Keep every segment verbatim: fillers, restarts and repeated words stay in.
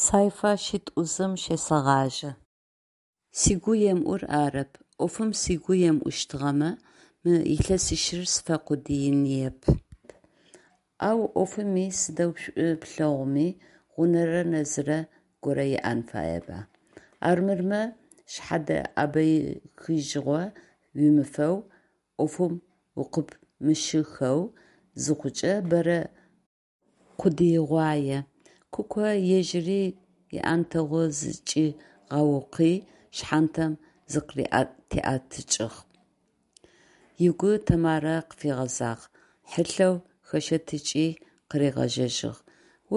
Сайфа шитӏу-зым щесэгъажьэ. Сыгу емыӏур арэп, ӏофым сыгу емыӏущтыгъэмэ, мы илъэсищыр сфэкъудыиныеп. Ау ӏофыми сыдэу шӏу плъэгъуми, гъунэрэ нэзырэ горэ иӏэн фаеба? Армырмэ шъхьэдэӏэбэехыжьыгъо уимыфэу, ӏофым укъыпымыщыхэу зыхъукӏэ, бэрэ къудыигъуае, Куко ежьыри иӏэнтэгъу зыкӏигъэукъуи, шъхьантэм зыкъытыриӏэтыкӏыгъ, ыгу Тэмарэ къыфигъэзагъ, хьылъэу хэщэтыкӏи, къыригъэжьэжьыгъ: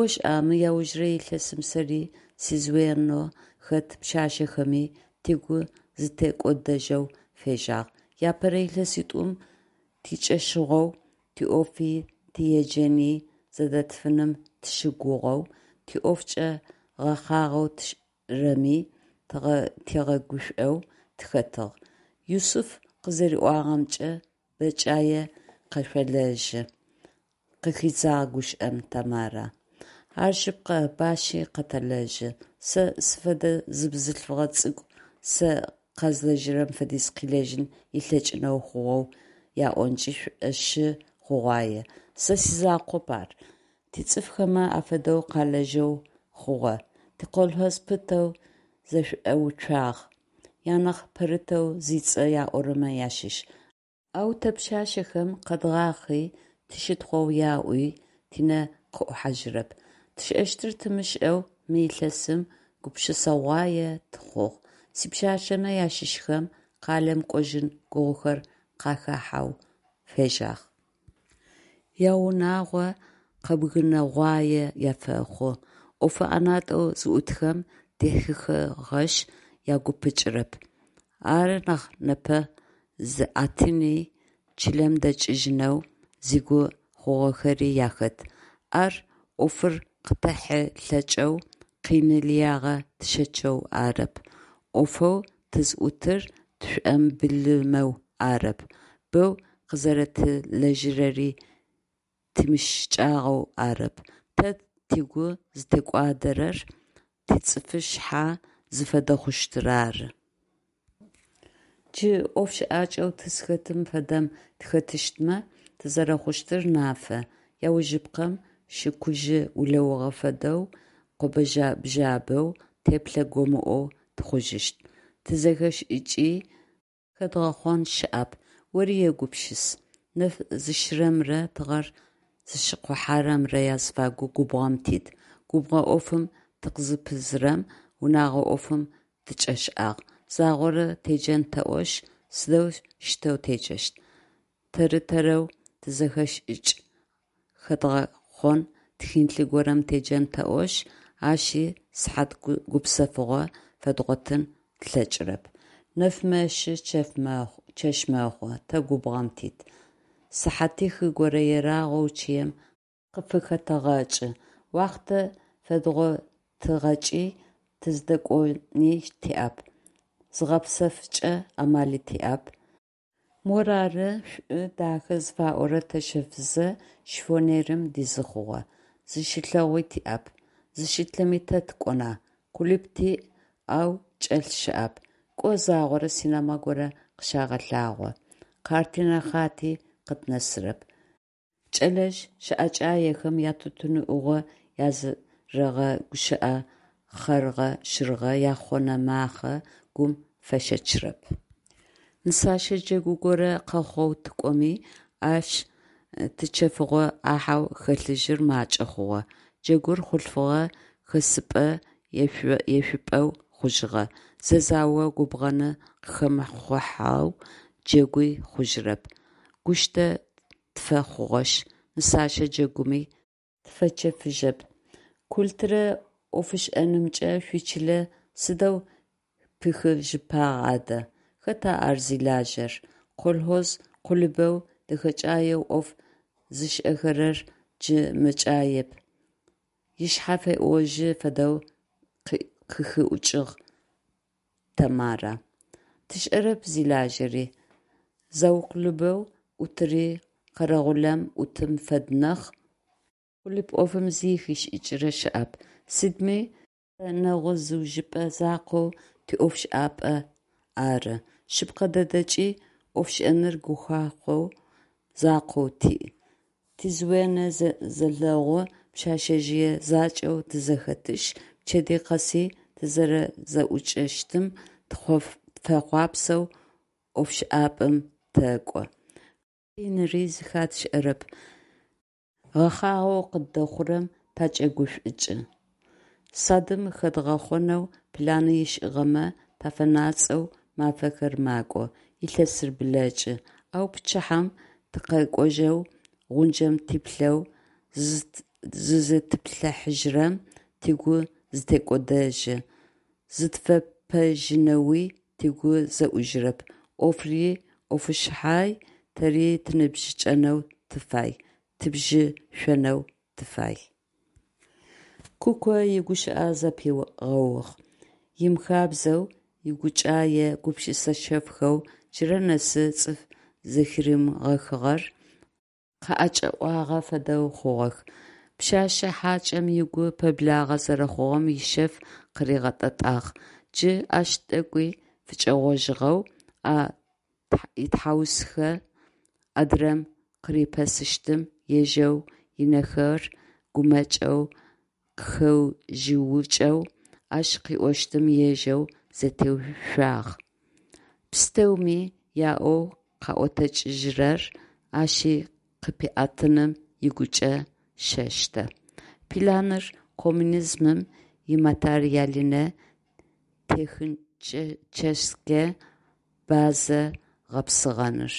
«Ошӏа, мы аужрэ илъэсым сэри, сизвено хэт пшъашъэхэми тыгу зытекӏодэжьэу фежьагъ. Апэрэ илъэситӏум тикӏэщыгъоу, тиӏофи, тиеджэни зэдэтфыным тыщыгугъэу, тиӏофкӏэ гъэхъагъэу тшӏырэми тигъэгушӏоу тыхэтыгъ. Юсыф къызэриӏуагъэмкӏэ, бэкӏае къэшъолэжьы, – къыхидзагъ гущыӏэм Тэмарэ. Ар шъыпкъэ, бащи къэтэлэжьы. Сэ сфэдэ зы бзылъфыгъэ цӏыкӏу сэ къэзлэжьырэм фэдиз къылэжьын ылъэкӏынэу хъугъэу яӏонкӏи шӏошъы хъугъуае. Сэ сизакъоп ар, тицӏыфхэмэ афэдэу къалэжьэу хъугъэ, тиколхоз пытэу зэшӏоуцуагъ, анахь пэрытэу зыцӏэ яӏорэмэ ащыщ. Ау тэ пшъашъэхэм къэдгъахъи, тыщытхъоу яӏуи тинэ къыӏухьажьырэп. Тшӏэщтыр тымышӏэу мы илъэсым гупшысэгъуае тыхъугъ. Сипшъашъэмэ ащыщхэм къалэм кӏожьын гугъухэр къахахьэу фежьагъ. Яунагъо къэбгынэгъуае афэхъу, ӏофы ӏэнатӏэу зыӏутхэм дихьыхыгъэшъ, агу пыкӏырэп. Ары нахь непэ зиӏэтыни чылэм дэкӏыжьынэу зыгу хъугъэхэри ахэт. Ар ӏофыр къытэхьылъэкӏэу, къины лыягъэ тщэчэу арэп, ӏофэу тызӏутыр тшӏомыбылымэу арэп, бэу къызэрэтилэжьырэри тимыщыкӏагъэу арэп, тэ тыгу зытекӏуадэрэр тицӏыфышъхьэ зыфэдэ хъущтыр ары. Джы ӏоф щыӏакӏэу тызхэтым фэдэм тыхэтыщтмэ, тызэрэхъущтыр нафэ, аужыпкъэм, шыкужъы улэугъэ фэдэу къобэ-бжъабэу, теплъэ гомыӏоу тыхъужьыщт, тизэхэшӏыкӏи хэдгъэхъон щыӏэп. Ори егупшыс: нэф зышъырэмрэ тыгъэр зыщыкъохьэрэмрэ азыфагу губгъом тит, губгъо ӏофым тыкъызыпызырэм унэгъо ӏофым тыкӏэшӏагъ, загъорэ теджэн тэӏошъ, сыдэущтэу теджэщт, тэр-тэрэу тизэхэшӏыкӏ хэдгъэхъон тхылъ горэм теджэн тэӏошъ, ащи сыхьат гупсэфыгъо фэдгъотын тлъэкӏырэп. Нэф мэшъы, чэщ мэхъу – тэ губгъом тит, сыхьатих горэ ерагъэу чъыем къыфыхэтэгъэкӏы, уахътэ фэдгъотыгъэкӏи тыздэкӏони тиӏэп, зыгъэпсэфыкӏэ амали тиӏэп. Морары, шӏу, дахэ зыфаӏорэр тэщэфызэ, шифоньерым дизы хъугъэ, зыщылъэгъуи тиӏэп, зыщытлъэми тэ тыкӏона, клуб тиӏ, ау чӏэлъ щыӏэп, кӏо загъорэ синема горэ къыщагъэлъагъо, картинэ хъати къытнэсырэп. Кӏэлэжъ щэӏэкӏаехэм ятутын ӏугъо, язэрэгъэгущыӏэ хъэргъэ-щыргъэ, яхъонэ-махъэ гум фэщэчырэп. Нысэщэ джэгу горэ къэхъоу тыкӏоми, ащ тичэфыгъо ӏахьэу хэлъыжьыр макӏэ хъугъэ. Джэгур хъулъфыгъэ хэсыпӏэ-ешъупӏэу хъужьыгъэ, зэзао губгъэны къыхэмыхъухьэу джэгуи хъужьырэп. Гущтэ тфэхъугъэшъ, нысэщэ джэгуми тыфэчэфыжьэп. Культурэ ӏофышӏэнымкӏэ шъуичылэ сыдэу пыхыжьыпагъ адэ, хэта ар зилажьэр, колхоз къулыбэу дэхэкӏаеу ӏоф зышӏэхэрэр джы мэкӏаеп, ышъхьэ феӏожьы фэдэу къыхиӏукӏыгъ Тэмарэ. Тшӏэрэп зилажьэри, заукълубэу ӏутыри къэрэгъулэм ӏутым фэд нахь, къулыб ӏофым зи хишӏыкӏырэ щыӏэп. Сыдми Тэ нэгъу-зыужьыпӏэ закъоу тиӏофшӏапӏэ ары, шъыпкъэ дэдэкӏи ӏофшӏэныр гухахъо закъоу тиӏ, тизвено зэлэгъу пшъэшъэжъые закӏэу тызэхэтышъ, пчэдэй къэси тызэрэзэӏукӏэщтым тыфэхъуапсэу ӏофшӏапӏэм тэкӏо. Къиныри зэхатшӏэрэп, гъэхъагъэу къыддэхъурэм такӏэгушӏукӏы. Садым хэдгъэхъонэу планы ышӏыгъэмэ тафэнацӏэу мафэхэр макӏо, илъэсыр блэкӏы, ау пчыхьэм тыкъэкӏожьэу гъунджэм типлъэу зызытплъыхьажьырэм, тыгу зытекӏодэжьы, зытфэпэжьынэуи тыгу зэӏужьырэп, ӏофри ӏофышъхьай, тэри тыныбжьыкӏэнэу тыфай, тыбжьышӏонэу тыфай. Куко игущыӏэ зэпигъэугъ. Имыхабзэу игукӏае гупшысэ шъэфхэу джырэ нэсы цӏыф зэхыримыгъэхыгъэр къыӏэкӏэӏуагъэ фэдэу хъугъэх. Пшъэшъэ хьакӏэм ыгу пэблагъэ зэрэхъугъэм ишъэф къыригъэтӏэтӏагъ. Джы ащ тӏэкӏуи фыкӏэгъожьыгъэу, а итхьаусхэ адырэм къырипэсыщтым ежэу, ынэхэр гумэкӏэу къыхэжъыукӏэу, ащ къыӏощтым ежэу зэтеуцуагъ. Пстэуми яӏоу къаӏотэкӏыжьырэр ащи къыпиӏэтыным ыгукӏэ щэщтэ. Планыр коммунизмым иматериальнэ техническэ базэ гъэпсыгъэныр.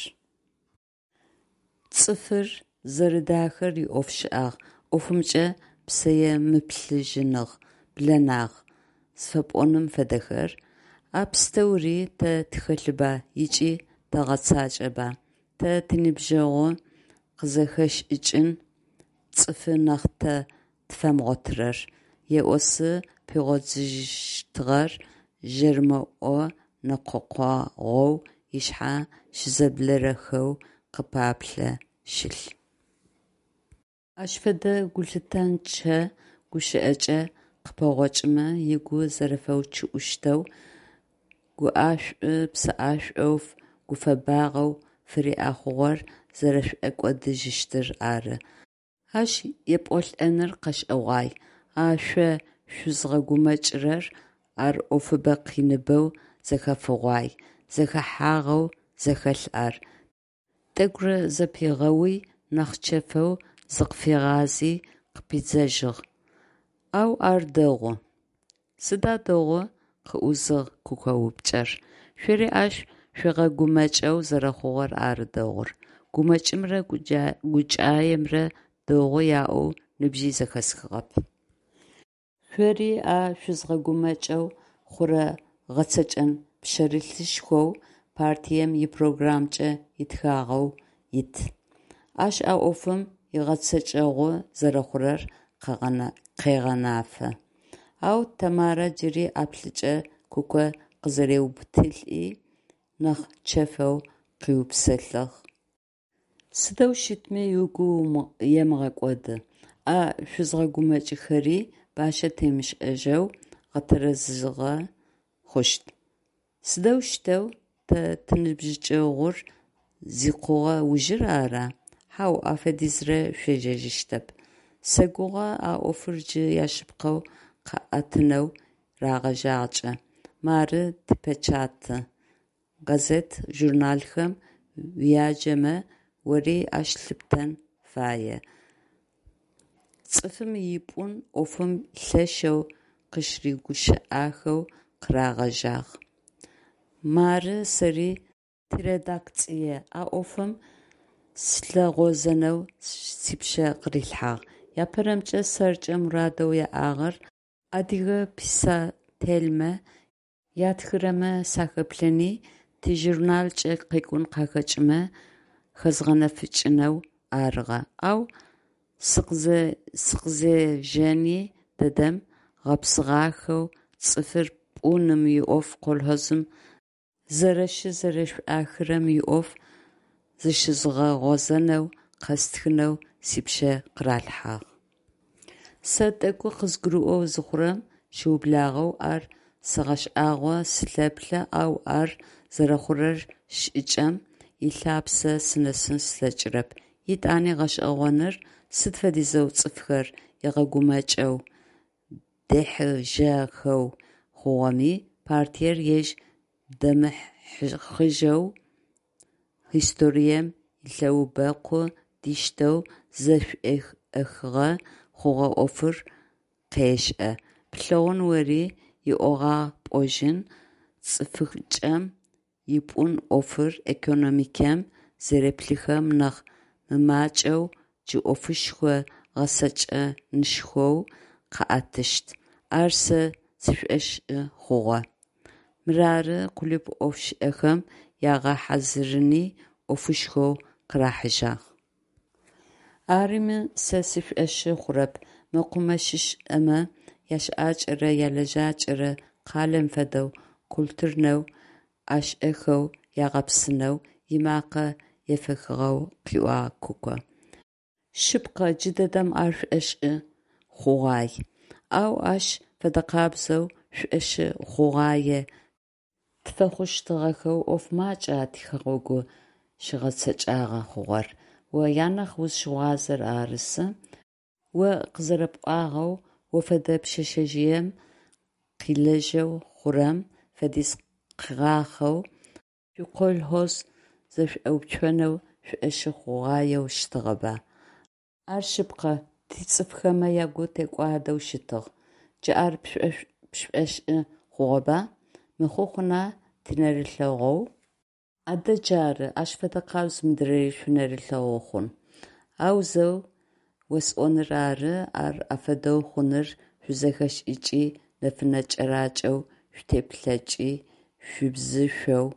Цӏыфыр зэрэдахэр иӏофшӏагъ, ӏофымкӏэ псэемыблэжьыныгъ, блэнагъ зыфэпӏоным фэдэхэр? А пстэури тэ тхэлъыба ыкӏи тэгъэцакӏэба? Тэ тиныбджэгъу къызэхэшӏыкӏын цӏыфы нахь тэ тфэмыгъотырэр, еӏосы пигъодзыжьыщтыгъэр жэрыӏо нэкъокъогъоу ышъхьэ щызэблэрэхэу къыпаплъэ щылъ. Ащ фэдэ гулъытэнчъэ гущыӏэкӏэ къыпэгъокӏымэ, ыгу зэрэфэучъыӏущтэу, гуӏэшӏу-псэӏэшӏоу, гуфэбагъэу фыриӏэ хъугъэр зэрэшӏокӏодыжьыщтыр ары. Ащ епӏолӏэныр къэшӏэгъуай. А шъо шъузгъэгумэкӏырэр, ар ӏофыбэ къиныбэу зэхэфыгъуай, зэхэхьагъэу зэхэлъ ар, тӏэкӏурэ зэпигъэуи, нахь чэфэу зыкъыфигъази къыпидзэжьыгъ: Ау ар дэгъу. Сыда дэгъу? – къыӏузыгъ Куко упчӏэр. Шъори ащ шъуигъэгумэкӏэу зэрэхъугъэр ары дэгъур. Гумэкӏымрэ гукӏаемрэ дэгъу яӏоу нибжьи зэхэсхыгъэп. Шъори а шъузгъэгумэкӏэу хъурэ гъэцэкӏэн пшъэрылъышхоу партием ипрограммкӏэ итхагъэу ит. Ащ а ӏофым игъэцэкӏэгъу зэрэхъурэр къегъэнафэ. Ау Тэмарэ джыри ӏаплӏыкӏэ Куко къызэриубытылӏи, нахь чэфэу къыӏуипсэлъыгъ. Сыдэу щытми угу емыгъэкӏоды, а шъузгъэгумэкӏыхэри бащэ темышӏэжьэу гъэтэрэзыгъэ хъущт. Сыдэущтэу, тэ тиныбжьыкӏэгъур зикъугъэ ужыр ара? Хьау, ащ фэдизрэ шъуежэжьыщтэп. Сэгугъэ а ӏофыр джы яшъыпкъэу къаӏэтынэу рагъэжьагъэкӏэ. Мары типечати, газет, журналхэм уяджэмэ, ори ащ лъыптэн фае: цӏыфым ипӏун ӏофым лъэшэу къыщырыгущыӏэхэу къырагъэжьагъ. Мары сэри тиредакцие а ӏофым сылъыгъозэнэу сипшъэ къырилъхьагъ. Апэрэмкӏэ сэркӏэ мурадэу яӏагъэр адыгэ писательмэ ятхырэмэ сахэплъэни, тижурналкӏэ къекӏун къахэкӏымэ хэзгъэнэфыкӏынэу арыгъэ, ау сыкъызежэни дэдэм гъэпсыгъахэу цӏыфыр пӏуным иӏоф колхозым зэрэщызэшӏуахырэм иӏоф зыщызгъэгъозэнэу, къэстхынэу сипшъэ къыралъхьагъ. Сэ тӏэкӏу къызгурыӏоу зыхъурэм щыублагъэу ар сэгъэшӏагъо, сылъэплъэ, ау ар зэрэхъурэ шӏыкӏэм ылъапсэ сынэсын слъэкӏырэп. Етӏани гъэшӏэгъоныр, сыд фэдизэу цӏыфхэр ыгъэгумэкӏэу, дехьыжьэхэу хъугъэми, партиер ежь дэмыхыжьэу, историем илъэубэкъу диштэу зэшӏохыгъэ хъугъэ ӏофыр къешӏэ, плъэгъун ори иӏогъагъ пӏожьын, цӏыфыкӏэм ипӏун ӏофыр экономикэм зэреплъыхэм нахь мымакӏэу джы ӏофышхо гъэцэкӏэнышхоу къаӏэтыщт, ар сэ сшӏошъы хъугъэ. Мырары къулыкъу ӏофышӏэхэм ягъэхьазырыни ӏофышхоу къырахьыжьагъ. Арыми, сэ сшӏошъы хъурэп мэкъумэщышӏэмэ ящыӏакӏэрэ ялэжьакӏэрэ къалэм фэдэу культурнэу, ӏэшӏэхэу ягъэпсынэу, ымакъэ ефэхыгъэу къыӏуагъ Куко. Шъыпкъэ, джыдэдэм ар шӏошъы хъугъуай. Ау ащ фэдэкъабзэу шӏошъы хъугъуае тфэхъущтыгъэхэу ӏоф макӏа тихэгъэгу щыгъэцэкӏагъэ хъугъэр, о анахь узщыгъуазэр ары сы. О къызэрэпӏуагъэу, о фэдэ пшъэшъэжъыем къылэжьэу хъурэм фэдиз къыгъахъэу шъуиколхоз зэшӏоуцонэу шӏошъы хъугъуаеу щытыгъэба? Ар шъыпкъэ, тицӏыфхэмэ ягу текӏуадэу щытыгъ. Джы ар пшӏошъы хъугъэба? Мыхъу хъуна, тинэрылъэгъоу. Адэ джары, ащ фэдэкъабз мыдрэри шъуинэрылъэгъу хъун. Аузэу осӏоныр ары, ар афэдэу хъуныр шъуизэхэшӏыкӏи нэфынэ кӏэракӏэу шъуитеплъэкӏи, шъубзышъоу,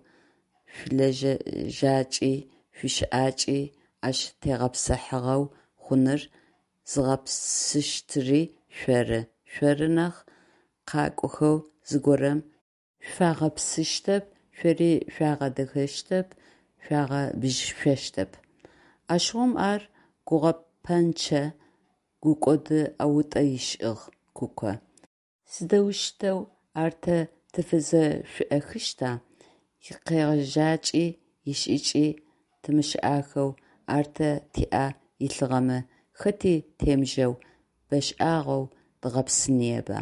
шъуилэжьакӏи, шъуищыӏакӏи ащ тегъэпсыхьагъэу хъуныр зыгъэпсыщтыри шъоры, шъоры нахь, къакӏохэу зыгорэм шъуфагъэпсыщтэп, шъори шъуагъэдэхэщтэп, шъуагъэбжьышӏощтэп. Ащыгъум ар гугъэпӏэнчъэ гукӏоды ӏэутӏэ ышӏыгъ Куко. Сыдэущтэу ар тэ тыфызэшӏохыщта? Икъегъэжьакӏи ишӏыкӏи тымышӏахэу ар тэ тиӏэ илъыгъэмэ, хэти темыжэу, бэшӏагъэу дгъэпсыныеба.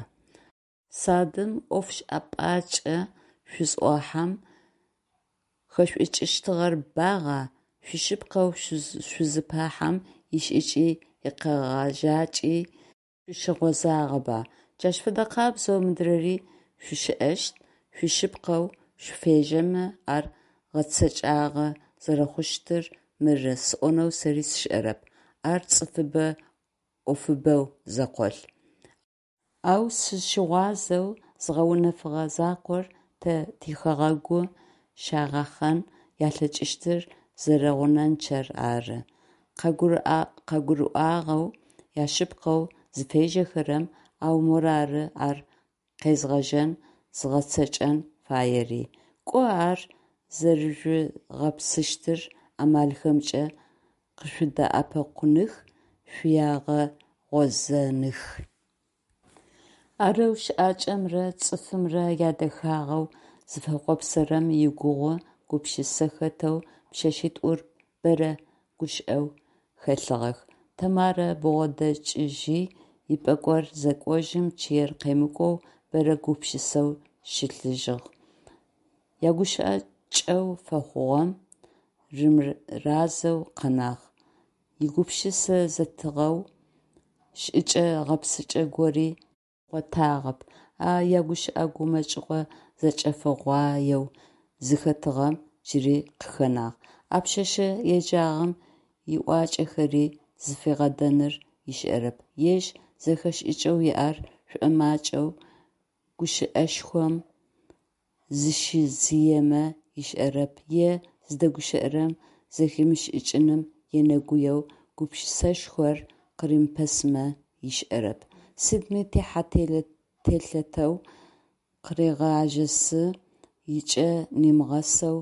Садым ӏофшӏапкӏэ шъузӏохьэм хэшъушӏыкӏыщтыгъэр багъа, шъуишъыпкъэу шъузыпэхьэм ишӏыкӏи икъегъэжьакӏи шъущыгъозагъэба? Джащ фэдэкъабзэу мыдрэри шъущыӏэщт, шъуишъыпкъэу шъуфежьэмэ, ар гъэцэкӏагъэ зэрэхъущтыр мыры сӏонэу сэри сшӏэрэп, ар цӏыфыбэ ӏофыбэу зэкъолъ. Ау сызщыгъуазэу згъэунэфыгъэ закъор тэ тихэгъэгу щагъэхъэн ялъэкӏыщтыр зэрэгъунэнчъэр ары. Къагурыӏуагъэу, яшъыпкъэу зыфежьэхэрэм, ау морары ар къезгъэжьэн, зыгъэцэкӏэн фаери. Кӏо ар зэрэжъугъэпсыщт амалхэмкӏэ къышъудэӏэпыӏэных, шъуагъэгъозэных. Арэу щыӏакӏэмрэ цӏыфымрэ ядэхагъэу зыфэхъуапсэрэм игугъу гупшысэ хэтэу пшъэшъитӏур бэрэ гушӏоу хэлъыгъэх. Тэмарэ бгъодэкӏыжьи ипӏэкӏор зэкӏожьым, чъыер къемыкӏоу бэрэ гупшысэу щылъыжьыгъ. Ягущыӏэ кӏэу фэхъугъэм рымыразэу къэнагъ. Игупшысэ зэтыгъэу шӏыкӏэ-гъэпсыкӏэ гори хигъотагъэп, а ягущыӏэ гумэкӏыгъо зэкӏэфыгъуаеу зыхэтыгъэм джыри къыхэнагъ. А пшъэшъэ еджагъэм иӏуакӏэхэри зыфигъэдэныр ышӏэрэп, ежь зэхэшӏыкӏэу иӏэр шӏомакӏэу гущыӏэшхом зыщидзыемэ ышӏэрэп е зыдэгущыӏэрэм зэхимышӏыкӏыным енэгуеу гупшысэшхор къыримыпэсымэ ышӏэрэп. Сыдми техьэ-телъэтэу къырегъажьэшъы, ыкӏэ нимыгъэсэу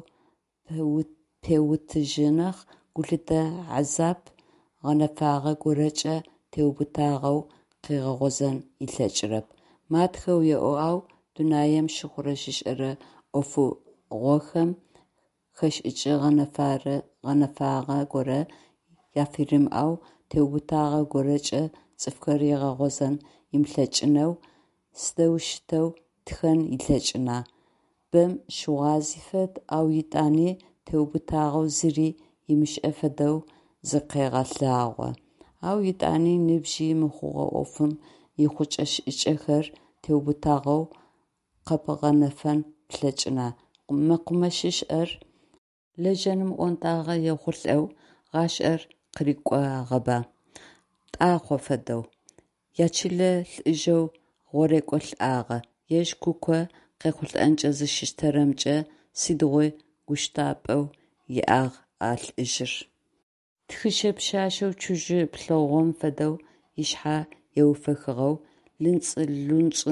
пеутыжьы нахь, гулъытэ хьазаб гъэнэфагъэ горэкӏэ теубытагъэу къыгъэгъозэн ылъэкӏырэп. Матхэу еӏо, ау дунаим щыхъурэ-щышӏэрэ ӏофыгъохэм хэшӏыкӏ гъэнэфагъэ горэ афыримыӏэу, теубытагъэ горэкӏэ цӏыфхэр ыгъэгъозэн ымылъэкӏынэу сыдэущтэу тхэн ылъэкӏына? Бэм щыгъуази фэд, ау етӏани теубытагъэу зыри ымышӏэ фэдэу зыкъегъэлъагъо. Ау етӏани ныбжьи мыхъугъэ ӏофым ихъукӏэ-шӏыкӏэхэр теубытагъэу къэбгъэнэфэн плъэкӏына? Мэкъумэщышӏэр лэжьэным ӏонтӏагъэ ехъулӏэу гъашӏэр къырикӏугъэба, Тӏахъо фэдэу. Ячылэ лӏыжъэу гъорекӏо лӏагъэ. Ежь Куко къехъулӏэнкӏэ зыщыщтэрэмкӏэ сыдигъуи гущтапӏэу иӏагъ а лӏыжъыр. Тхыщэ пшъашъэу цужъы плъыгъом фэдэу ышъхьэ еуфэхыгъэу, лъынцӏ-лъунцӏ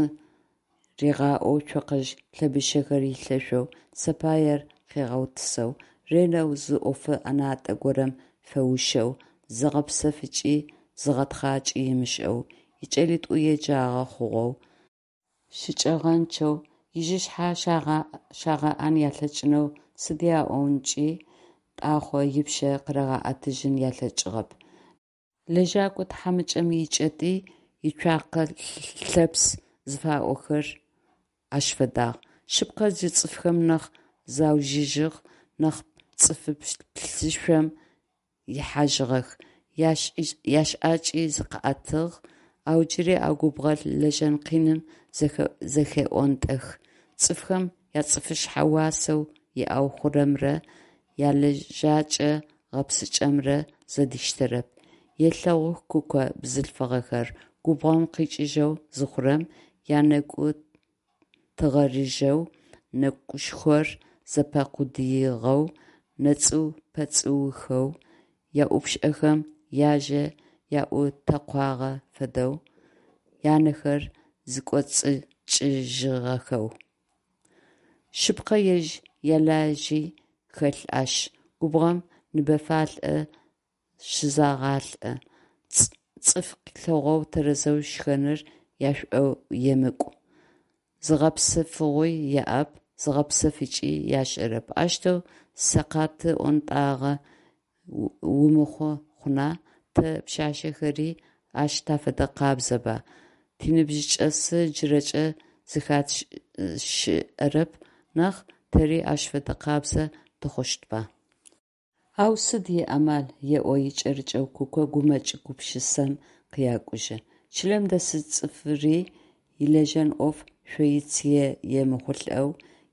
ригъаӏоу цокъэжъ лъэбыщэхэр илъэшъоу, сэпаер къыгъэутысэу, ренэу зы ӏофы ӏэнатӏэ горэм фэушъэу, зыгъэпсэфыкӏи зыгъэтхъакӏи ымышӏэу, икӏэлитӏу еджагъэ хъугъэу, щыкӏэгъэнчъэу, ижъышъхьэ щагъэӏэн алъэкӏынэу сыд яӏонкӏи Тӏахъо ыпшъэ къырагъэӏэтыжьын алъэкӏыгъэп. Лэжьэкӏо тхьамыкӏэм икӏэтӏый ицуакъэ лъэпс зыфаӏорэр ащ фэдагъ. Шъыпкъэ, джы цӏыфхэм нахь заужьыжьыгъ, нахь цӏыфы плъышъом ихьажьыгъэх, яшӏакӏи зыкъыӏэтыгъ, ау джыри а губгъо лэжьэн къиным зэхеӏонтӏэх. Цӏыфхэм яцӏыфышъхьэ уасэу иӏэу хъурэмрэ ялэжьэкӏэ гъэпсыкӏэмрэ зэдиштэрэп. Елъэгъух Куко бзылъфыгъэхэр губгъом къикӏыжьэу зыхъурэм, анэгу тыгъэрыжьэу, нэкӏушхор зэпакъудыигъэу, нэцӏыу-пэцӏыухэу, яӏупшӏэхэм яжьэ аӏутэкъуагъэ фэдэу анэхэр зэкӏоцӏыкӏыжьыгъэхэу. Шъыпкъэ, ежь ялажьи хэлъ ащ: губгъом ныбэфалӏэ щызагъалӏэ, цӏыф лъэгъоу тэрэзэу шхэныр яшӏоемыкӏу, зыгъэпсэфыгъуи яӏэп, зыгъэпсэфыкӏи ашӏэрэп. Аущтэу сэкъаты ӏонтӏагъэ умыхъу хъуна, тэ, пшъашъэхэри, ащ тафэдэкъабзэба, тиныбжьыкӏэсы джырэкӏэ зэхатшӏэрэп нахь, тэри ащ фэдэ къабзэ тыхъущтба? Ау сыд иамал еӏо икӏэрыкӏэу Куко гумэкӏ гупшысэм къякӏужьы. Чылэм дэсы цӏыфри илэжьэн ӏоф шъоицые емыхъулӏэу,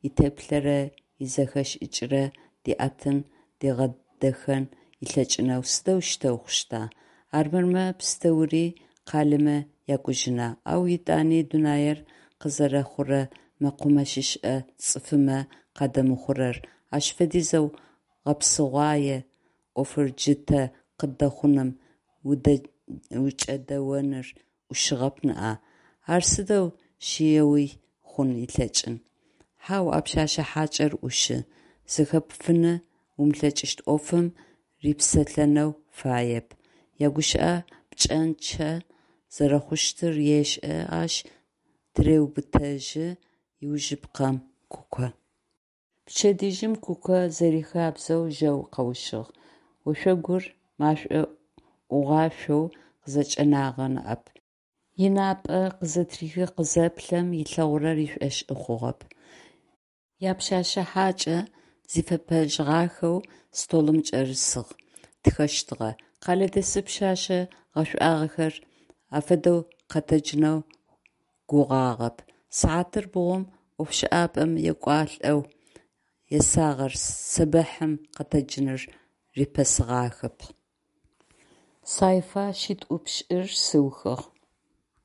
итеплъэрэ изэхэшӏыкӏрэ диӏэтын, дигъэдэхэн ылъэкӏынэу сыдэущтэу хъущта? Армырмэ пстэури къалэмэ якӏужьына? Ау етӏани дунаир къызэрэхъурэ мэкъумэщышӏэ цӏыфымэ къадэмыхъурэр, ащ фэдизэу гъэпсыгъуае ӏофыр джы тэ къыддэхъуным укӏэдэоныр ӏушыгъэп ныӏа? Ар сыдэу шъыеуи хъун ылъэкӏын. Хьау, а пшъэшъэ хьакӏэр ӏушы, зэхэпфын умылъэкӏыщт ӏофым рипсэлъэнэу фаеп, ягущыӏэ пкӏэнчъэ зэрэхъущтыр ешӏэ, ащ тыреубытэжьы ужыпкъэм Куко. Пчэдыжьым Куко зэрихабзэу жьэу къэущыгъ. Ошъогур машӏо ӏугъашъоу къызэкӏэнагъ ныӏэп. Ынапӏэ къызэтырихи къызэплъэм, ылъэгъурэр ышӏошъы хъугъэп. Япшъэшъэ хьакӏэ зифэпэжьыгъахэу столым кӏэрысыгъ, тхэщтыгъэ. Къэлэдэс пшъэшъэ гъэшӏуагъэхэр афэдэу къэтэджынэу гугъагъэп. Сыхьатыр бгъум ӏофшӏапӏэм екӏуалӏэу есагъэр сэбэхьым къэтэджыныр рипэсыгъахэп. Сайфа шъитӏу-пшӏыр сыухыгъ.